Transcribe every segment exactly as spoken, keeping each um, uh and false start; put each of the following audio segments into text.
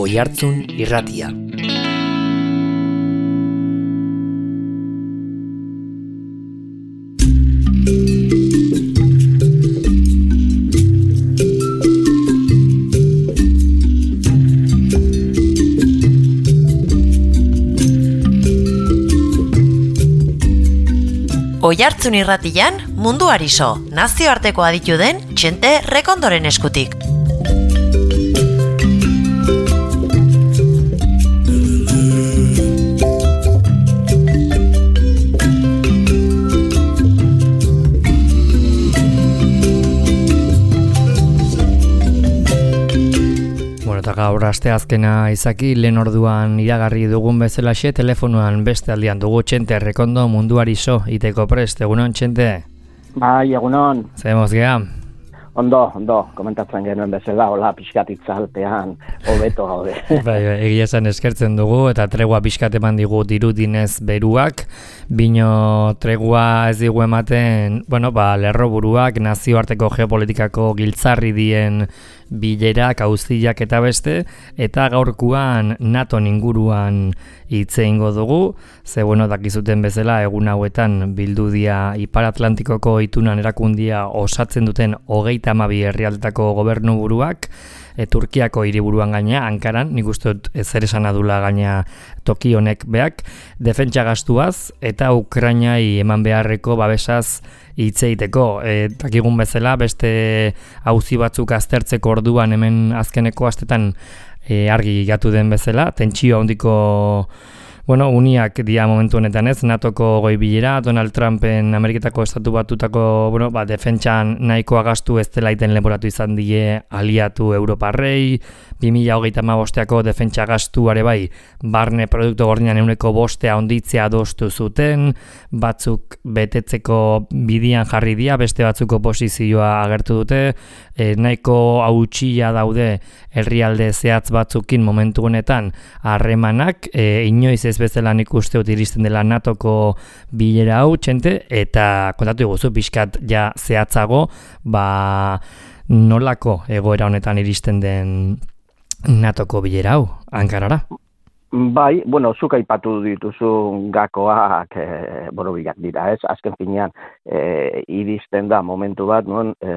Oihartzun Irratia. Oihartzun Irratian munduari so, nazioarteko aditu den Txente Rekondoren eskutik. Eta gaur asteazkena izaki, lehen orduan iragarri dugun bezalaxe, telefonoan beste aldian dugu Txente Rekondo munduari so, iteko prest, egunon Txente? Bai, egunon. Zemoz geha? Ondo, ondo, komentatzen genuen bezala, hola, pixkat itzalpean, hobeto gaude. Bai, egia esan eskertzen dugu, eta tregua pixkat eman digu dirudinez beruak, bino tregua ez digu ematen, bueno, ba, lerroburuak, nazioarteko geopolitikako giltzarri dien bilerak, auziak eta beste, eta gaurkuan NATO inguruan hitz egingo dugu, ze bueno, dakizuten bezala egun hauetan bildu dia Ipar Atlantikoko itunan erakundia osatzen duten hogeita hamabi herrialdetako gobernu buruak, e, Turkiako hiriburuan gaina, Ankaran, nik uste dut zer esan adula gaina toki honek beak, defentsa gastuaz eta Ukrainai eman beharreko babesaz hitz egiteko. E, dakigun bezala, beste auzi batzuk aztertzeko orduan hemen azkeneko astetan e, argi gatu den bezala, tentsio handiko bueno, uniak dia momentu honetan ez, NATOko goi bilera, Donald Trumpen Ameriketako estatu batutako bueno, ba, defentsan nahikoa gastu ez dela iten leporatu izan die aliatu Europarrei, bi mila hogeita hamabosteako defentsa gastuare bai, barne produktu gordinan ehuneko bostea onditzea adostu zuten, batzuk betetzeko bidian jarri dia, beste batzuk oposizioa agertu dute, e, nahiko hautsia daude herrialde zehatz batzukin momentu honetan harremanak, e, inoiz ez bezala nik uste dut iristen dela NATOko bilera hau, Txente, eta kontatu guzu pixkat ja zehatzago, ba nolako egoera honetan iristen den NATOko bilera hau, Ankarara? Bai, bueno, zuk aipatu dituzu gakoak e, borobilak dira, ez? Azken finean e, iristen da momentu bat, non, e,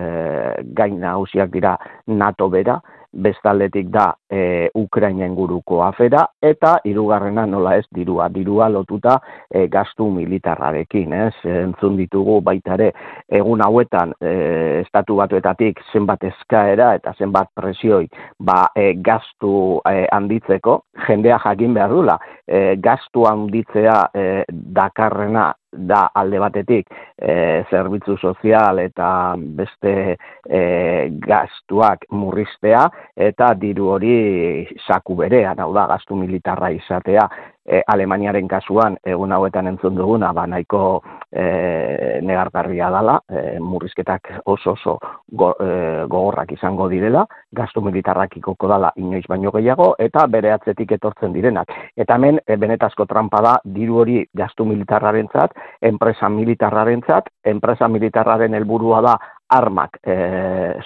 gain nagusiak dira NATO bera, bestaldetik da e, Ukraina inguruko afera, eta hirugarrena nola ez dirua, dirua lotuta e, gastu militarrarekin, ez? Entzun ditugu baita ere egun hauetan e, estatu batuetatik zenbat eskaera eta zenbat presioi ba, e, gastu e, handitzeko, jendea jakin behar dula, e, gastu handitzea e, dakarrena da alde batetik e, zerbitzu sozial eta beste e, gastuak murriztea eta diru hori saku berean, hau da, gastu militarra izatea. E, Alemaniaren kasuan egun hauetan entzun duguna, ba, nahiko e, negargarria dela, e, murrizketak oso oso go, e, gogorrak izango direla, gastu militarrak ikoko dela inoiz baino gehiago, eta bere atzetik etortzen direnak. Eta hemen, e, benetazko trampa da, diru hori gastu militarrarentzat, enpresa militarrarentzat, enpresa militarraren helburua da armak e,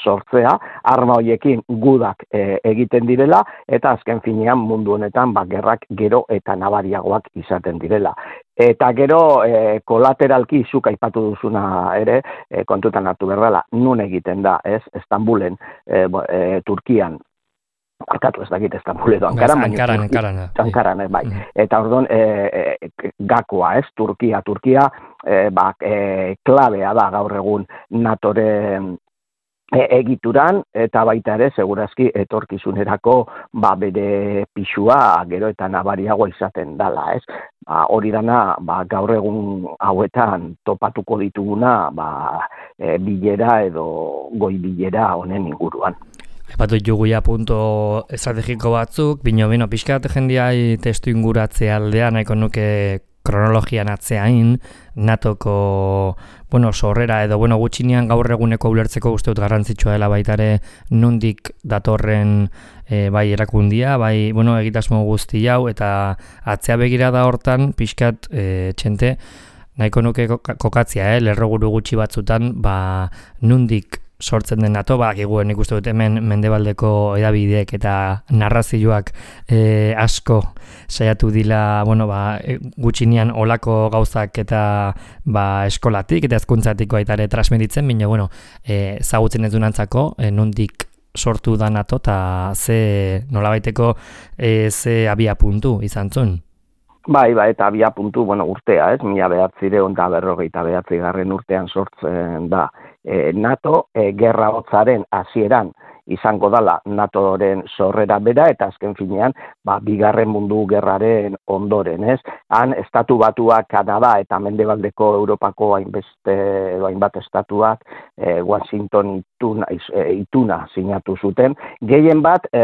sortzea, arma horiekin gudak e, egiten direla, eta azken finean mundu honetan ba, gerrak gero eta nabariagoak izaten direla. Eta gero e, kolateralki zuk aipatu duzuna ere, e, kontutan hartu berdala, nun egiten da, ez, Istanbulen, e, e, Turkian, Arkatu ez dakit Istanbul edo Ankaran, Ankaran, Ankaran, Ankaran, bai. Eta orduan e, e, gakoa, ez, Turkia, Turkia, e, ba, e, klabea da gaur egun NATOren e, egituran, eta baita ere, segurazki, etorkizunerako ba, bere pixua gero eta nabariagoa izaten dala, ez. Ba, hori dana, ba, gaur egun hauetan topatuko dituguna, ba, e, bilera edo goi bilera honen inguruan. Epatu juguia punto estrategiko batzuk, bino, bino, pixkat jendiai testu inguratzea aldea, nahiko nuke kronologian atzeain, NATOko, bueno, sorrera edo, bueno, gutxinean gaur eguneko ulertzeko uste dut garrantzitsua dela baitare nondik datorren e, bai erakundia, bai, bueno, egitasmo guzti hau, eta atzea begira da hortan, pixkat, e, Txente, nahiko nuke kokatzia, eh, lerroguru gutxi batzutan, ba, nondik sortzen den NATO, bakigu nik uste dut hemen mendebaldeko edabideek eta narrazioak e, asko saiatu dila, bueno, ba, gutxinean olako gauzak eta ba, eskolatik eta hezkuntzatik baita ere transmititzen, baina bueno, e, zagutzen ez dunantzako, e, nondik sortu da NATO eta ze nolabaiteko e, ze abia puntu izan zuen. Bai, bai, eta abia puntu, bueno, urtea, ez, mila behatzireun da berrogeita behatzi garren urtean sortzen da e, NATO, e, gerra hotzaren hasieran izango dala NATOren sorrera bera, eta azken finean, ba, bigarren mundu gerraren ondoren, ez? Han, estatu batuak Kanada eta mendebaldeko Europako hainbeste, hainbat estatuak e, Washington ituna, e, ituna sinatu zuten, gehien bat e,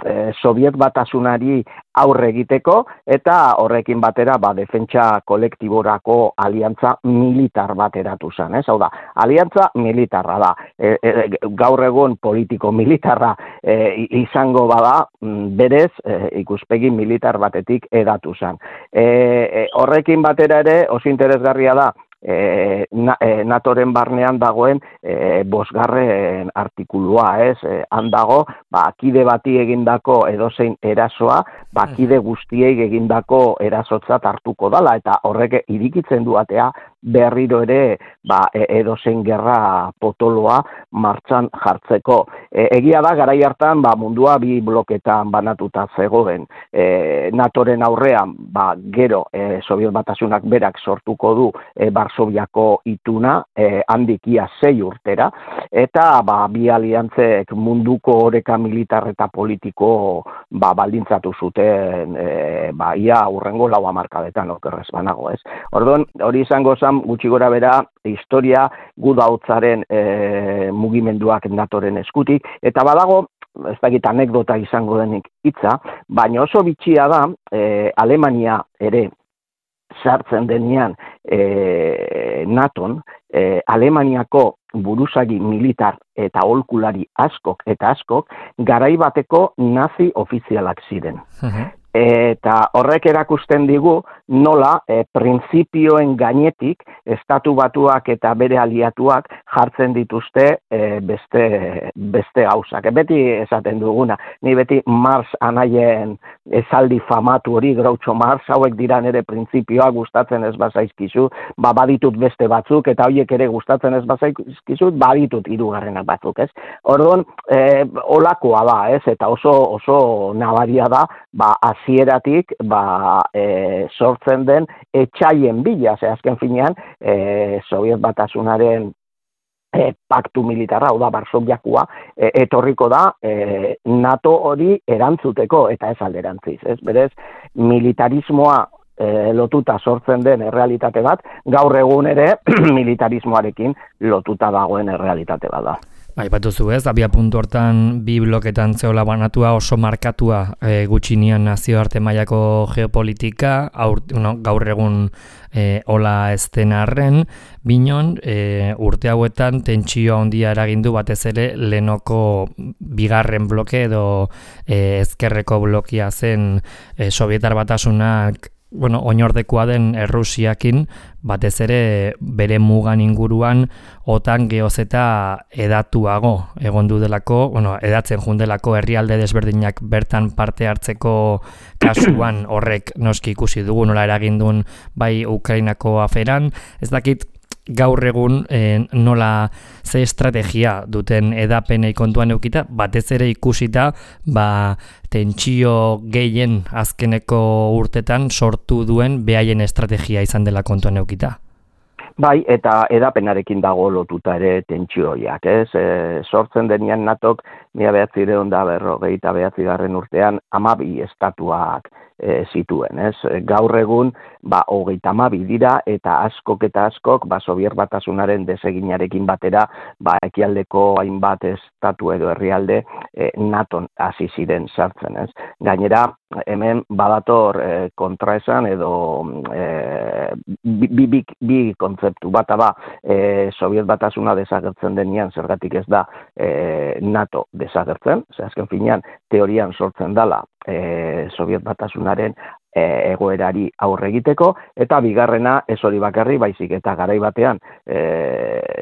e, Soviet batasunari aurre egiteko, eta horrekin batera, ba, defentsa kolektiborako aliantza militar bat eratu zen, ez? Hau da, aliantza militarra da, e, e, gaur egun politiko militarra e, izango bada, berez e, ikuspegi militar batetik edatu zen. E, e, horrekin batera ere, oso interesgarria da, E, na, e, NATOren barnean dagoen e, bosgarren artikulua, ez? E, han dago, ba, kide bati egindako edozein erasoa, ba, kide guztiei egindako erasotzat hartuko dala, eta horrek irikitzen du atea berriro ere ba, edozein gerra potoloa martxan jartzeko. E, egia da, garai hartan ba, mundua bi bloketan banatuta zegoen. E, NATOren aurrean, ba, gero e, Sobiet Batasunak berak sortuko du e, Varsoviako ituna, e, handikia sei urtera, eta ba, bi aliantzek munduko oreka militar eta politiko ba, baldintzatu zuten e, ba, ia urrengo lau hamarkadetan okerrez banago, ez. Orduan, hori izango zen gutxi gora bera, historia gudautzaren e, mugimenduak NATOren eskutik, eta badago, ez dakit anekdota izango denik hitza, baina oso bitxia da, e, Alemania ere sartzen denean e, NATOn, e, Alemaniako buruzagi militar eta aholkulari askok eta askok garai bateko nazi ofizialak ziren. Uh-huh. Eta horrek erakusten digu nola e, printzipioen gainetik estatu batuak eta bere aliatuak jartzen dituzte e, beste, beste gauzak. Beti esaten duguna, ni beti Mars anaien esaldi famatu hori, Groucho Mars, hauek dira nere printzipioa gustatzen ez bazaizkizu, ba baditut beste batzuk, eta horiek ere gustatzen ez bazaizkizu, baditut hirugarrenak batzuk, ez? Orduan, e, olakoa da, ez? Eta oso, oso nabaria da, ba, hasieratik ba, e, sortzen den etxaien bila, ze azken finean, e, Sobiet Batasunaren e, paktu militarra, hau da, Varsoviakoa, e, etorriko da e, NATO hori erantzuteko, eta ez alderantziz, ez? Berez, militarismoa e, lotuta sortzen den errealitate bat, gaur egun ere militarismoarekin lotuta dagoen errealitate bat da. Aipatu zu ez, abia puntu hortan bi bloketan zeola banatua oso markatua e, gutxinean nazioarte mailako geopolitika, aur, no, gaur egun e, ola ez den arren, binon e, urte hauetan tentsio handia eragindu batez ere lehenoko bigarren bloke edo e, ezkerreko blokia zen e, Sovietar Batasunak bueno, oinordekoa den Errusiakin, batez ere bere mugan inguruan otan geoz eta edatuago egon du delako, bueno, edatzen jundelako herrialde desberdinak bertan parte hartzeko kasuan horrek noski ikusi dugu nola eragindun bai Ukrainako aferan, ez dakit gaur egun eh, nola ze estrategia duten edapenei kontuan eukita, batez ere ikusita ba, tentsio gehien azkeneko urtetan sortu duen behaien estrategia izan dela kontuan eukita. Bai, eta edapenarekin dago lotuta ere tentsioiak, ez? E, sortzen denean NATOk mila bederatziehun eta berrogeita bederatzigarren urtean hamabi estatuak e, zituen, ez? Gaur egun, ba, hogeita hamabi dira, eta askok eta askok, ba, Sobiet Batasunaren deseginarekin batera, ba, ekialdeko hainbat estatu edo herrialde e, NATOn hasi ziren sartzen, ez? Gainera, hemen badator e, kontraesan edo e, bi, bi, bi kontzeptu bata ba, e, Sobiet Batasuna desagertzen denean, zergatik ez da e, NATO desagertzen, ze azken finean teorian sortzen dala e, Sobiet Batasunaren e, egoerari aurre egiteko, eta bigarrena ez hori bakarri, baizik eta garai batean e,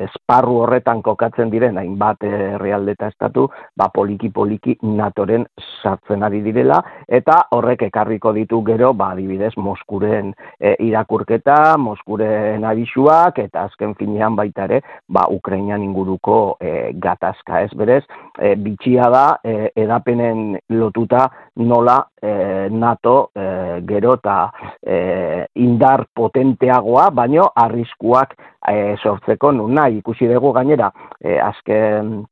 esparru horretan kokatzen diren hainbat herrialde eta estatu, ba poliki-poliki NATOren sartzen ari direla, eta horrek ekarriko ditu gero, ba adibidez, Moskuren e, irakurketa, Moskuren abisuak, eta azken finean baita ere, ba Ukrainan inguruko e, gatazka, ez berez, e, bitxia da, e, edapenen lotuta nola e, NATO e, gero eta e, indar potenteagoa, baino arriskuak e, sortzeko nun nahi. Ikusi dugu gainera, e, azken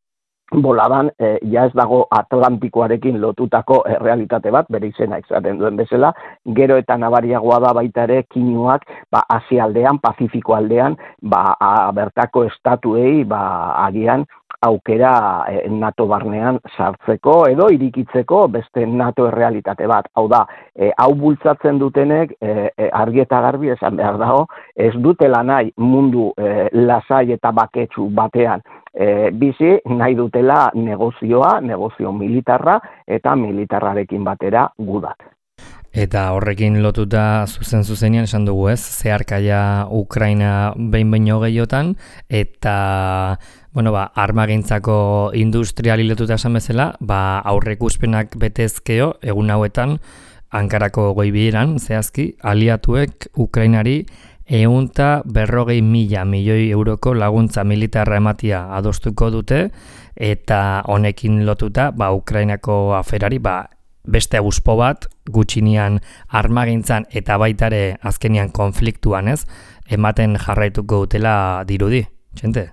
boladan, e, ja ez dago Atlantikoarekin lotutako e, realitate bat, bere izena izaten duen bezala, gero eta nabariagoa da baita ere kinuak, ba, Asia aldean, Pazifiko aldean, ba, a, bertako estatuei, ba, agian, aukera e, NATO barnean sartzeko edo irikitzeko beste NATO errealitate bat. Hau da, e, hau bultzatzen dutenek e, e, argi eta garbi esan behar dago, ez dutela nahi mundu e, lasai eta baketsu batean e, bizi, nahi dutela negozioa, negozio militarra eta militarrarekin batera gudak. Eta horrekin lotuta zuzen zuzenean esan dugu ez, zeharkaia Ukraina behin baino gehiotan, eta bueno, ba, armagintzako industriali lotuta esan bezala, ba, aurreikuspenak betezkeo, egun hauetan, Ankarako goibileran, zehazki, aliatuek Ukrainari ehunta berrogei mila milioi euroko laguntza militarra ematia adostuko dute, eta honekin lotuta, ba, Ukrainako aferari, ba, beste auspo bat, gutxinean armagintzan eta baitare azkenian konfliktuan, ez, ematen jarraituko dutela dirudi, txente?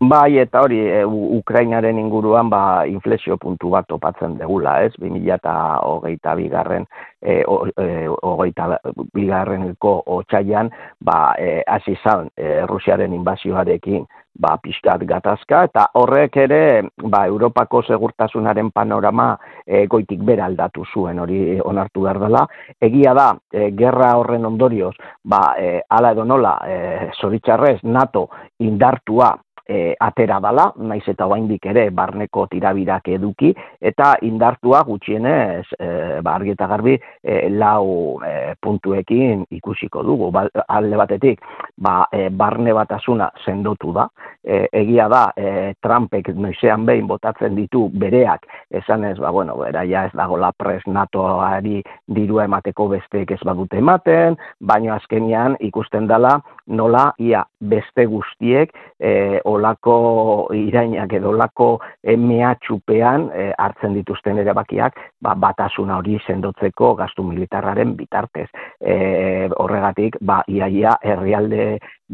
Bai, eta hori, e, Ukrainaren inguruan ba, inflexio puntu bat topatzen degula, ez? bi mila hogeita bigarren, e, o, e, hogeita bigarreneko otsailean, ba, e, hasi zan e, Rusiaren inbasioarekin, ba, pixkat gatazka, eta horrek ere, ba, Europako segurtasunaren panorama e, goitik bera aldatu zuen, hori onartu behar dela. Egia da, e, gerra horren ondorioz, ba, e, ala edo nola, e, zoritxarrez, NATO indartua, E, atera dala, naiz eta oraindik ere barneko tirabirak eduki, eta indartua gutxienez, e, ba, argi eta garbi, e, lau e, puntuekin ikusiko dugu. Ba, alde batetik, ba, e, barne batasuna sendotu da, e, egia da, e, Trumpek noizean behin botatzen ditu bereak, esanez, ba, bueno, bera, ja ez dago la pres NATOari dirua emateko besteek ez badute ematen, baina azkenian ikusten dela, nola, ia, beste guztiek, e, olako irainak edo olako e, mehatxupean e, hartzen dituzten erabakiak, ba, batasuna hori sendotzeko gastu militarraren bitartez. E, horregatik, ba, iaia herrialde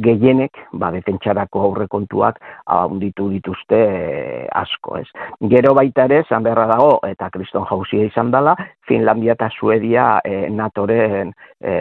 gehienek, ba, defentsarako aurrekontuak handitu dituzte e, asko, ez. Gero baita ere, zan beharra dago, eta kriston jauzia izan dela, Finlandia eta Suedia e, NATOren e,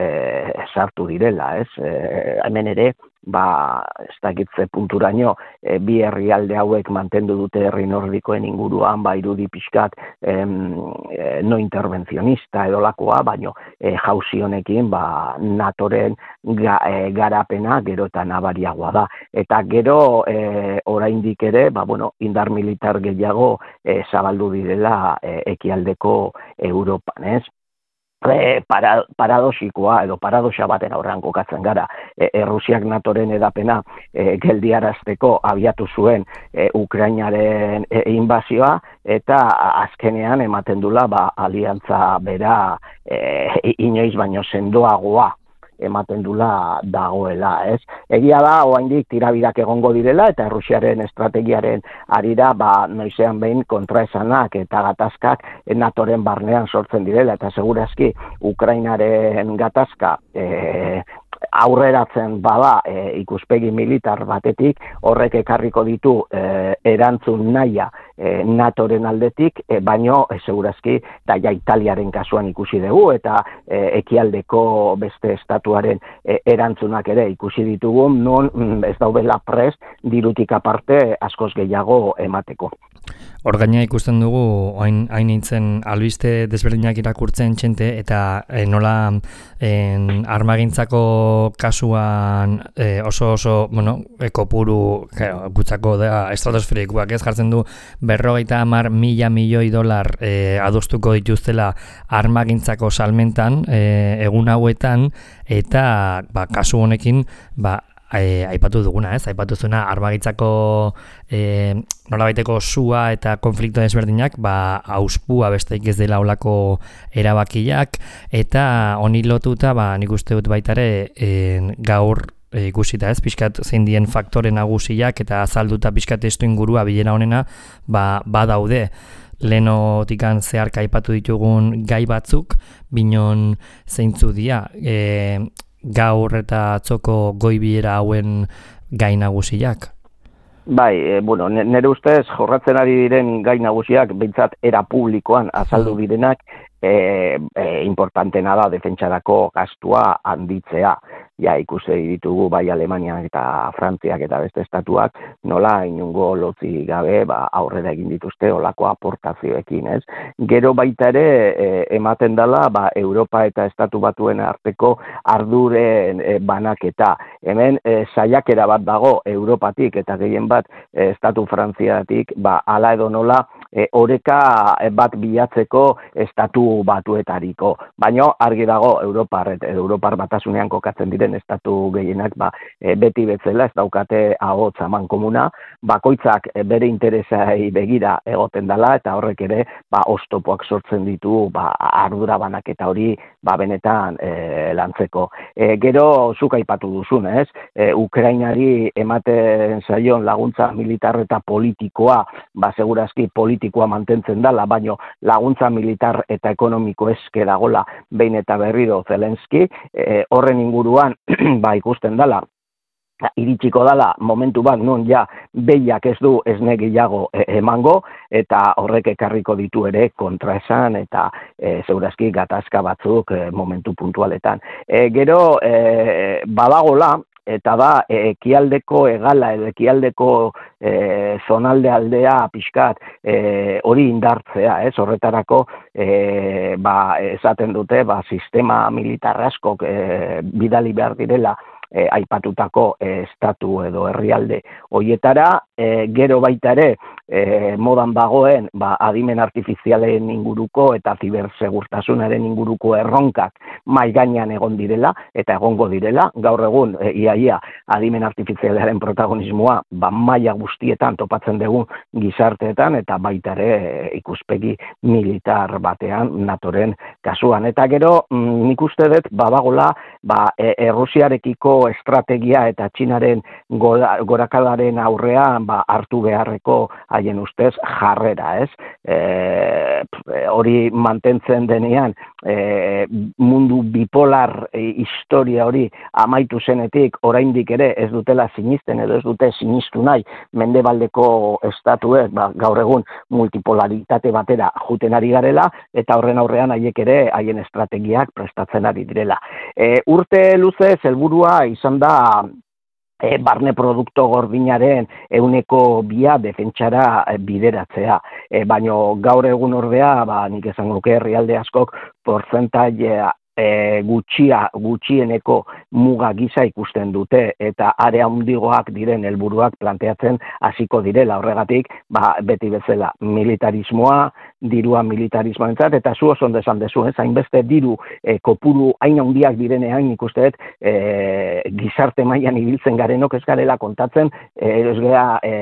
sartu direla, ez. E, hemen ere, ba, ez dakitze punturaino, e, bi herrialde hauek mantendu dute herri nordikoen inguruan, ba, irudi pixkat em, e, no intervencionista edolakoa, baino e, jauzi honekin, ba, NATOren ga, e, garapena gero eta nabariagoa da. Eta gero e, oraindik ere, ba, bueno, indar militar gehiago e, zabaldu direla e, ekialdeko Europan, ez? E, para, paradoxikoa edo paradoxa baten aurrean kokatzen gara. E, Errusiak NATOren edapena e, geldiarazteko abiatu zuen e, Ukrainaren e, inbazioa, eta azkenean ematen dula ba, aliantza bera e, inoiz baino sendoagoa ematen dula dagoela, ez? Egia da, oraindik tirabirak egongo direla, eta Errusiaren estrategiaren arira, ba, noizean behin kontraesanak eta gatazkak NATOren barnean sortzen direla, eta segurazki Ukrainaren gatazka e, aurreratzen bada e, ikuspegi militar batetik, horrek ekarriko ditu e, erantzun nahia e, NATOren aldetik, e, baino e, segurazki da ja Italiaren kasuan ikusi dugu, eta e, ekialdeko beste estatuaren e, erantzunak ere ikusi ditugu, non ez daudela prest dirutik aparte askoz gehiago emateko. Hor gaina ikusten dugu, hain, hain nintzen albiste desberdinak irakurtzen txente, eta e, nola en, armagintzako kasuan e, oso oso, bueno, ekopuru gutzako da estratosferikoak ez jartzen du berrogeita hamar mila milioi dolar e, adostuko dituztela armagintzako salmentan e, egun hauetan, eta ba, kasu honekin ba, E, aipatu duguna, ez? Aipatu zuena armagintzako e, nolabaiteko sua eta konflikto desberdinak, ba, auspua besteik ez dela olako erabakiak, eta honi lotuta, ba, nik uste dut baitare e, gaur e, ikusita, ez? Pixkat zein dien faktore nagusiak eta azalduta pixkat testu ingurua bilera honena, ba, badaude. Lehenotikan zeharka aipatu ditugun gai batzuk, binon zeintzu dira, e, gaur eta atzoko goibiera hauen gai nagusiak? Bai, e, bueno, nire ustez jorratzen ari diren gai nagusiak behintzat era publikoan azaldu direnak e, e, importantena da defentsarako gastua handitzea. Ja, ikusi ditugu bai Alemaniak eta Frantziak eta beste estatuak nola inungo lotzi gabe ba, aurrera egin dituzte olako aportazioekin, ez? Gero baita ere e, ematen dela ba, Europa eta Estatu Batuen arteko arduren e, banaketa. Hemen e, saiakera bat dago Europatik eta gehien bat e, Estatu Frantziatik ba, ala edo nola e, oreka bat bilatzeko Estatu Batuetariko. Baina argi dago Europar, Europar batasunean kokatzen diren estatu gehienak ba, e, beti betzela ez daukate ahots amankomuna, bakoitzak e, bere interesai begira egoten dela eta horrek ere ba, oztopoak sortzen ditu ba, ardura banaketa hori ba, benetan e, lantzeko. E, gero zuk aipatu duzun, ez? E, Ukrainari ematen zaion laguntza militar eta politikoa, ba, segurazki politikoa mantentzen dela, baino laguntza militar eta ekonomiko eske dagola behin eta berriro Zelenski, e, horren inguruan ba ikusten dela, iritsiko dela momentu bat non ja behiak ez du esne gehiago e, emango, eta horrek ekarriko ditu ere kontraesan eta e, segurazki gatazka batzuk e, momentu puntualetan. E, gero e, badagola, eta da ekialdeko egala edo ekialdeko e, zonalde aldea pixkat e, hori indartzea, ez? Horretarako e, ba, esaten dute ba, sistema militar askok e, bidali behar direla E, aipatutako e, estatu edo herrialde hoietara, e, gero baita ere e, modan dagoen ba, adimen artifizialen inguruko eta zibersegurtasunaren inguruko erronkak mai gainean egon direla eta egongo direla, gaur egun e, iaia adimen artifizialaren protagonismoa ba, maila guztietan topatzen dugun gizarteetan eta baita ere e, ikuspegi militar batean natoren kasuan. Eta gero mm, nik uste dut badagola ba, e, Errusiarekiko estrategia eta Txinaren gorakadaren aurrean ba, hartu beharreko haien ustez jarrera, ez? E, hori mantentzen denean e, mundu bipolar e, historia hori amaitu zenetik oraindik ere ez dutela sinisten edo ez dute sinistu nahi mendebaldeko estatuek ba, gaur egun multipolaritate batera juten ari garela eta horren aurrean haiek ere haien estrategiak prestatzen ari direla. E, urte luzez helburua izan da e, barne produkto gordinaren ehuneko bia defentsara e, bideratzea. E, baino gaur egun ordea, ba, nik esango nuke herrialde askok portzentaia E, gutxia, gutxieneko muga gisa ikusten dute eta are handigoak diren helburuak planteatzen hasiko direla. Horregatik, ba, beti bezala militarismoa, dirua militarismoentzat eta zu oso ondo esan dezu, ez? Hainbeste diru e, kopuru hain handiak direnean ikusten dut e, gizarte mailan ibiltzen garenok ez garela kontatzen, e, ez gara e,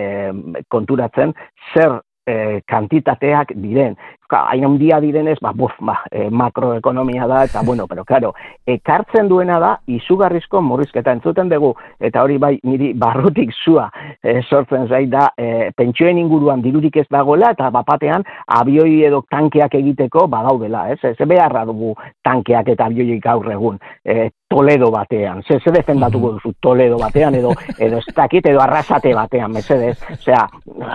konturatzen zer E, kantitateak diren. Hain handia direnez, ba, buf, ba, e, makroekonomia da, eta bueno, pero claro, ekartzen duena da, izugarrizko murrizketa entzuten dugu, eta hori bai, niri barrutik zua e, sortzen zait da, e, pentsioen inguruan dirurik ez dagoela, eta bapatean abioi edo tankeak egiteko badaudela, ez? Ez beharra dugu tankeak eta abioik gaur egun, e, Toledo batean, ze, ze defendatuko duzu Toledo batean, edo, edo ez dakit, edo Arrasate batean, mesedez, osea,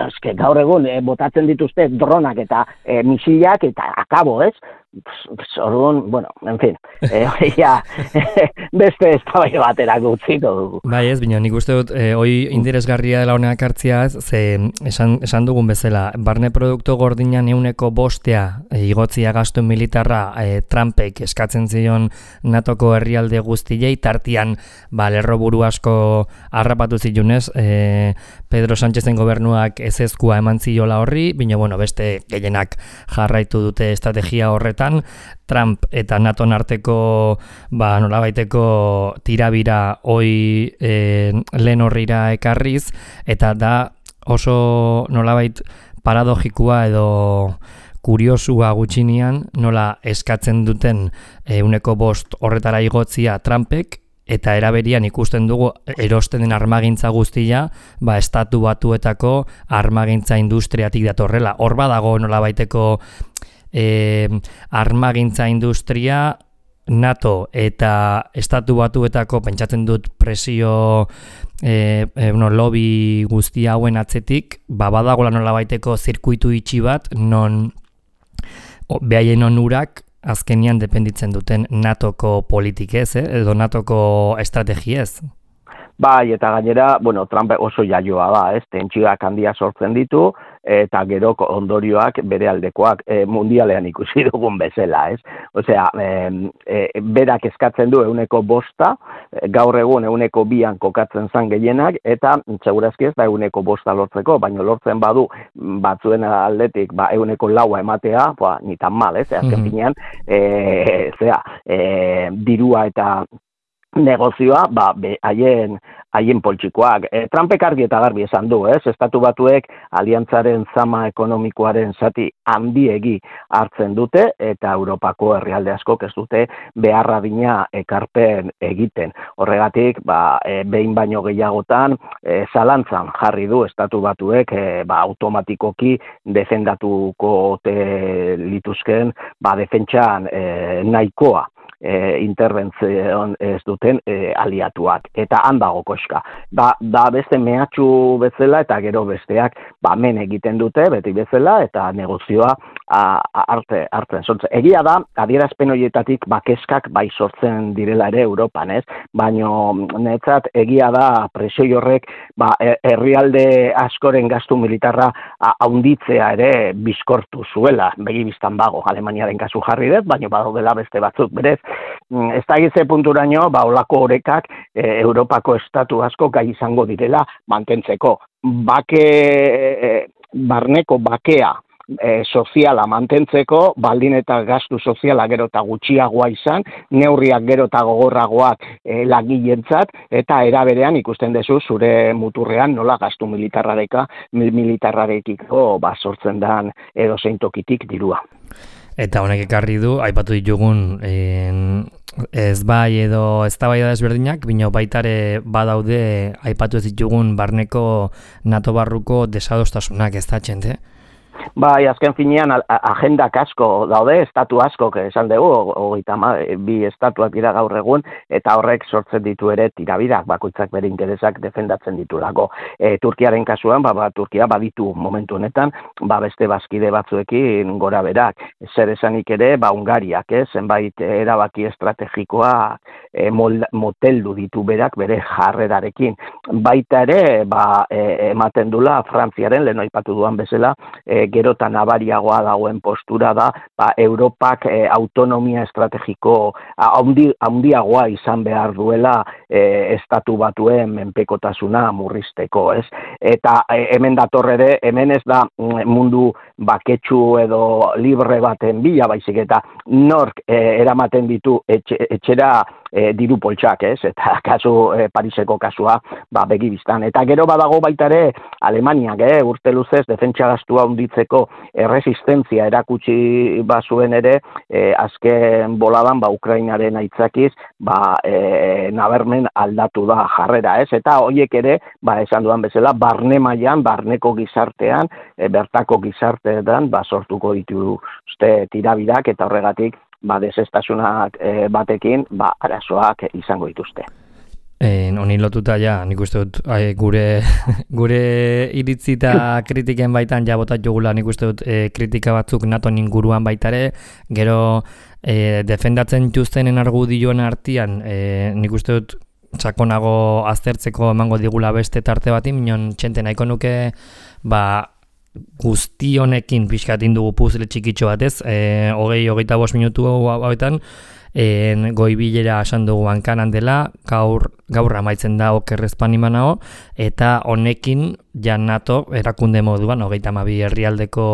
eske gaur egun, e, botatzen dituzte dronak eta e, misilak eta akabo, ez? Orduan, bueno, en fin, eh, ja, beste eztabaida batera utziko dugu. Bai ez, bino, nik uste dut, eh, hoi interesgarria dela honeak hartzia ez, ze esan, esan dugun bezala, barne produktu gordinan euneko bostea e, igotzia gastu militarra e, Trumpek eskatzen zion natoko herrialde guztiei, tartian ba, lerroburu asko harrapatu zilunez, e, Pedro Sánchezen gobernuak ezezkoa eman ziola horri, bino, bueno, beste gehienak jarraitu dute estrategia horretan, Trump eta NATOn arteko ba, nolabaiteko tirabira hoi e, lehen horrira ekarriz, eta da oso nolabait paradogikoa edo kuriosua gutxinean nola eskatzen duten ehuneko bost horretara igotzia Trumpek, eta eraberian ikusten dugu erosten den armagintza guztia, ba, estatu batuetako armagintza industriatik datorrela. Hor badago nolabaiteko e, armagintza industria NATO eta estatu batuetako pentsatzen dut presio e, e, no, lobby guzti hauen atzetik, ba, badagoela nolabaiteko zirkuitu itxi bat, non behaien onurak azkenian dependitzen duten NATOko politikez, eh? edo NATOko estrategiez. Bai, eta gainera, bueno, Trump oso jaioa da, ez, tentsioak handia sortzen ditu, eta gero ondorioak bere aldekoak e, mundialean ikusi dugun bezala, ez? Osea, e, e, berak eskatzen du euneko bosta, gaur egun euneko bian kokatzen zan gehienak, eta segurazki ez da euneko bosta lortzeko, baina lortzen badu batzuen aldetik ba, euneko laua ematea, ba, ni tan mal, ez? Azken finean, e, zera, e, dirua eta negozioa, ba, haien haien poltsikoak. E, Trumpek argi eta garbi esan du, ez? Estatu batuek aliantzaren zama ekonomikoaren zati handiegi hartzen dute, eta Europako herrialde askok ez dute beharra dina ekarpen egiten. Horregatik, ba, e, behin baino gehiagotan, e, zalantzan jarri du Estatu batuek e, ba, automatikoki defendatuko te lituzken ba, defentsan e, nahikoa. E, interventzion ez duten e, aliatuak, eta handago koska. Da, da beste mehatxu bezala eta gero besteak ba, men egiten dute, beti bezala, eta negozioa a, a, arte, hartzen sortzen. Egia da, adierazpen horietatik bakeskak bai sortzen direla ere Europan, ez? Baino netzat egia da presio horrek ba, herrialde askoren gastu militarra haunditzea ere bizkortu zuela, begibistan bago, Alemaniaren kasu jarri dut, baino badaudela beste batzuk berez, ez da gitze punturaino, ba, olako horekak e, Europako estatu asko gai izango direla mantentzeko. Bake, e, barneko bakea e, soziala mantentzeko, baldin eta gastu soziala gero eta gutxiagoa izan, neurriak gero eta gogorragoak e, lagilentzat, eta eraberean ikusten dezu zure muturrean nola gastu militarrareka, militarrarekiko ba, sortzen dan edo zein tokitik dirua. Eta honek ekarri du, aipatu ditugun en, ez bai edo eztabaida desberdinak, bino baitare badaude aipatu ez ditugun barneko NATO barruko desadostasunak ez da txente? Bai, azken finean agendak asko daude, estatu asko, esan dugu, hogeita bi estatuak dira gaur egun, eta horrek sortzen ditu ere tirabirak, bakoitzak bere interesak defendatzen ditulako. E, Turkiaren kasuan, ba, ba, Turkia baditu momentu honetan, ba, beste bazkide batzuekin gora berak. Zer esanik ere, ba, Hungariak, eh, zenbait erabaki estrategikoa e, moteldu ditu berak bere jarrerarekin. Baita ere, ba, e, ematen dula Frantziaren, lehen aipatu duan bezala, e, gero eta nabariagoa dagoen postura da, ba, Europak e, autonomia estrategiko haundi, haundiagoa izan behar duela e, estatu batuen menpekotasuna murrizteko, ez? Eta e, hemen datorrere, hemen ez da mundu baketsu edo libre baten bila, baizik eta nork e, eramaten ditu etxe, etxera e, diru poltsak, ez? Eta kasu e, Pariseko kasua, ba, begibistan. Eta gero badago baita ere Alemaniak, eh, urte luzez defentsa gastua handitzeko erresistentzia erakutsi bazuen ere, e, azken boladan ba Ukrainaren aitzakiz, ba e, nabarmen aldatu da jarrera, ez? Eta horiek ere, ba esan dudan bezala, barne mailan, barneko gizartean, e, bertako gizarteetan ba sortuko dituzte tirabirak, eta horregatik ba desestasunak e, batekin ba arazoak izango dituzte. Honi lotuta ja, nik uste dut ai, gure, gure iritzi eta kritiken baitan ja botat jogula nik uste dut e, kritika batzuk NATO inguruan baitare, gero e, defendatzen jutzenen argudioen artean e, nik uste dut sakonago aztertzeko emango digula beste tarte bati, minon txente nahiko nuke ba, guzti honekin pixkatin dugu puzle txikitxo batez, e, hogei, hogeita bost minutu hauetan, en goibilera esan dugu hankanan dela, gaur, gaur amaitzen da okerrezpan imanao, eta honekin ja NATO erakunde moduan, hogeita hamabi herrialdeko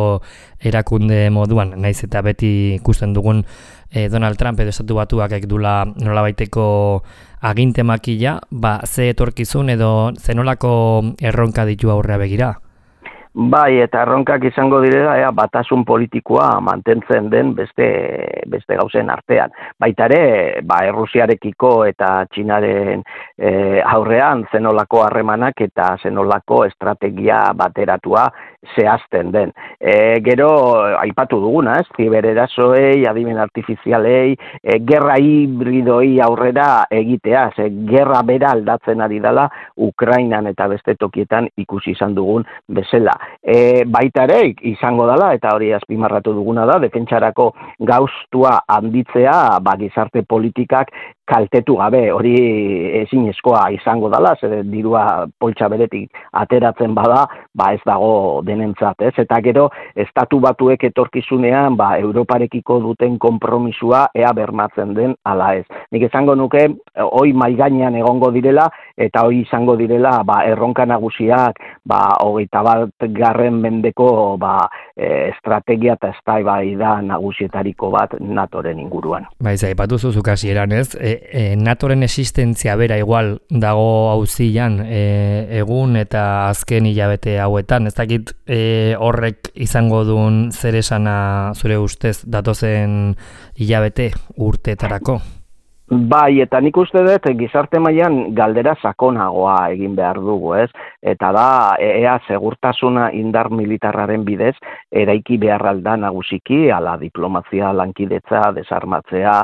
erakunde moduan, naiz eta beti ikusten dugun eh, Donald Trump edo estatu batuak ekdula nolabaiteko aginte makila, ba, ze etorkizun edo zenolako erronka ditu aurrea begira? Bai, eta erronkak izango direla, ea, batasun politikoa mantentzen den beste, beste gauzen artean. Baita ere, ba, Errusiarekiko eta Txinaren e, aurrean zenolako harremanak eta zenolako estrategia bateratua zehazten den. E, gero, aipatu duguna, ez, zibererasoei, adimen artifizialei, e, gerra hibridoi aurrera egitea, ze gerra bera aldatzen ari dela Ukrainan eta beste tokietan ikusi izan dugun bezala. E, baita ere izango dela, eta hori azpimarratu duguna da, defentsarako gauztua handitzea, ba, gizarte politikak kaltetu gabe, hori ezinezkoa izango dela, zer dirua poltsa beretik ateratzen bada, ba ez dago denentzat, ez? Eta gero, estatu batuek etorkizunean, ba, Europarekiko duten konpromisua ea bermatzen den ala ez. Nik esango nuke, hoi maigainean egongo direla, eta hoi izango direla, ba, erronka nagusiak, ba, hogeita bat garren mendeko, ba, e, estrategia eta eztabaida nagusietariko bat NATOren inguruan. Baiz, aipatu zuzuk hasieran ez, e, e, NATOren existentzia bera igual dago auzian e, egun eta azken hilabete hauetan, ez dakit e, horrek izango duen zer esana zure ustez datozen hilabete urteetarako? Bai, eta nik uste dut gizarte mailan galdera sakonagoa egin behar dugu, ez? Eta da, ea segurtasuna indar militarraren bidez, eraiki beharralda nagusiki, ala diplomazia lankidetza, desarmatzea,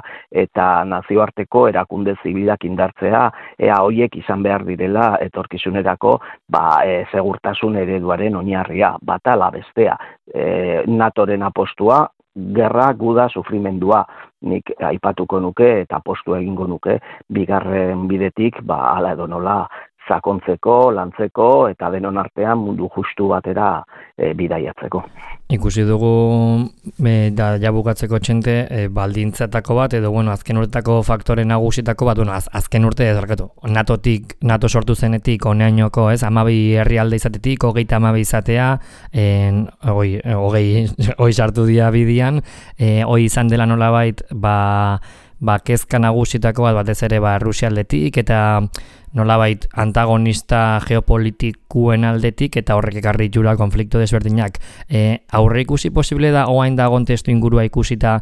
eta nazioarteko erakunde zibilak indartzea, ea hoiek izan behar direla etorkizunerako, ba, e, segurtasun ereduaren oinarria, bata ala bestea. E, NATOren apostua, gerra, guda, sufrimendua, nik aipatuko nuke eta postu egingo nuke bigarren bidetik, ba, ala edo nola sakontzeko, lantzeko eta denon artean mundu justu batera e, bidaiatzeko. Ikusi dugu e, da jabukatzeko txente e, baldintzatako bat edo bueno, azken urtetako faktore nagusitako bat, bueno, az, azken urte ez dakatu. NATOtik, NATO sortu zenetik oneainoko, ez, hamabi herrialde izatetik, hogeita hamabi izatea, en, hogei, hogei, hogei sartu dira bidian, e, hoi izan dela nolabait, ba, ba kezka nagusitako bat batez ere ba Rusialdetik eta nolabait antagonista geopolitikuen aldetik eta horrek ekarri jura konflikto desberdinak. E, aurre ikusi posible da oain dagon testu ingurua ikusita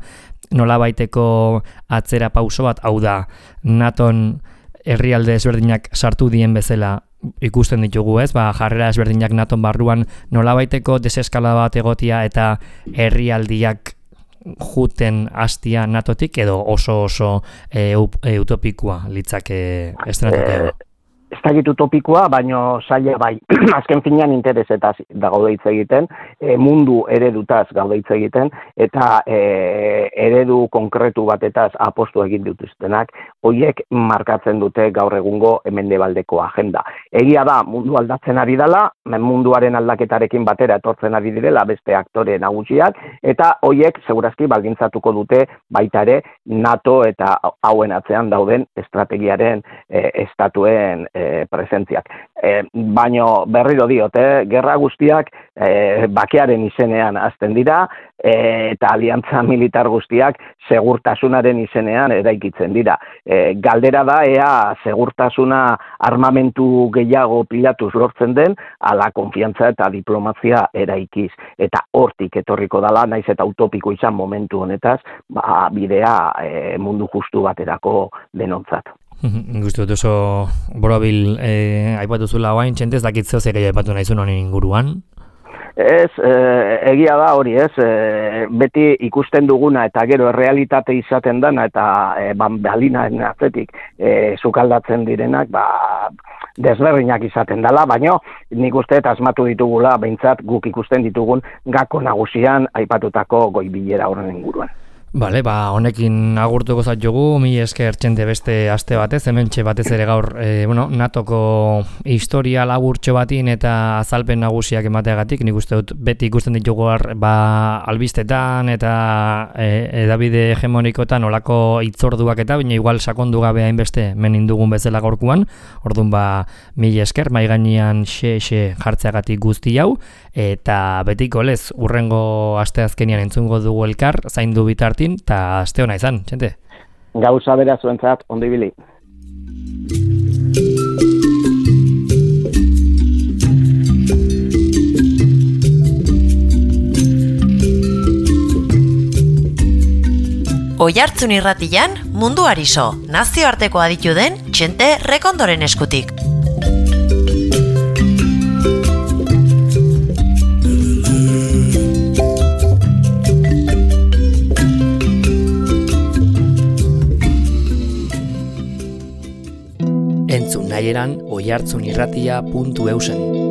nolabaiteko atzera pauso bat, hau da, NATOn herrialde desberdinak sartu dien bezala ikusten ditugu, ez? Ba, jarrera desberdinak NATOn barruan nolabaiteko deseskalada bat egotia eta herrialdiak juten hastia NATOtik edo oso oso e, e, utopikoa litzake estrategi? Ez dakit utopikoa, baino zaila bai. Azken finean interesetaz da gaude hitz egiten, e, mundu eredutaz gaude hitz egiten, eta e, eredu konkretu batetaz apostu egin dituztenak, horiek markatzen dute gaur egungo mendebaldeko agenda. Egia da, mundu aldatzen ari dela, munduaren aldaketarekin batera etortzen ari direla beste aktore nagusiak, eta horiek segurazki baldintzatuko dute baita ere NATO eta hauen atzean dauden estrategiaren e, estatuen E, presentziak. E, baino berriro diote, gerra guztiak e, bakearen izenean hasten dira e, eta aliantza militar guztiak segurtasunaren izenean eraikitzen dira. E, galdera da ea segurtasuna armamentu gehiago pilatuz lortzen den, ala konfiantza eta diplomazia eraikiz. Eta hortik etorriko dala, naiz eta utopiko izan momentu honetaz, ba, bidea e, mundu justu baterako denontzat. Gustu dut oso borobil eh, aipatu zula guain, txentez dakit zeo zer aipatu nahizun honen inguruan? Ez, e, egia da hori, ez, e, beti ikusten duguna eta gero errealitate izaten dana eta e, balinaen atzetik e, sukaldatzen direnak, ba, desberdinak izaten dela, baina nik uste eta asmatu ditugula, behintzat guk ikusten ditugun gako nagusian aipatutako goibilera horren inguruan. Bale, ba, honekin agurtuko zat jogu, mi esker txente beste aste batez, hemen txe batez ere gaur, e, bueno, natoko historia laburtxo batin eta azalpen nagusiak emateagatik, nik uste dut beti ikusten ditugu ba, albistetan eta e, edabide hegemonikotan olako itzorduak eta baina igual sakondu gabe hainbeste menin dugun bezala gaurkuan, orduan ba, mi esker, mai gainean xe-xe jartzeagatik guzti hau, eta betiko lez, urrengo aste azkenian entzungo dugu elkar, zaindu bitartin, eta aste hona izan, txente? Gauza bera zuentzat, ondo ibili. Oihartzun irratian, munduari so, nazioarteko aditu den Txente Rekondoren eskutik. Entzun nahieran oihartzunirratia puntu eusen.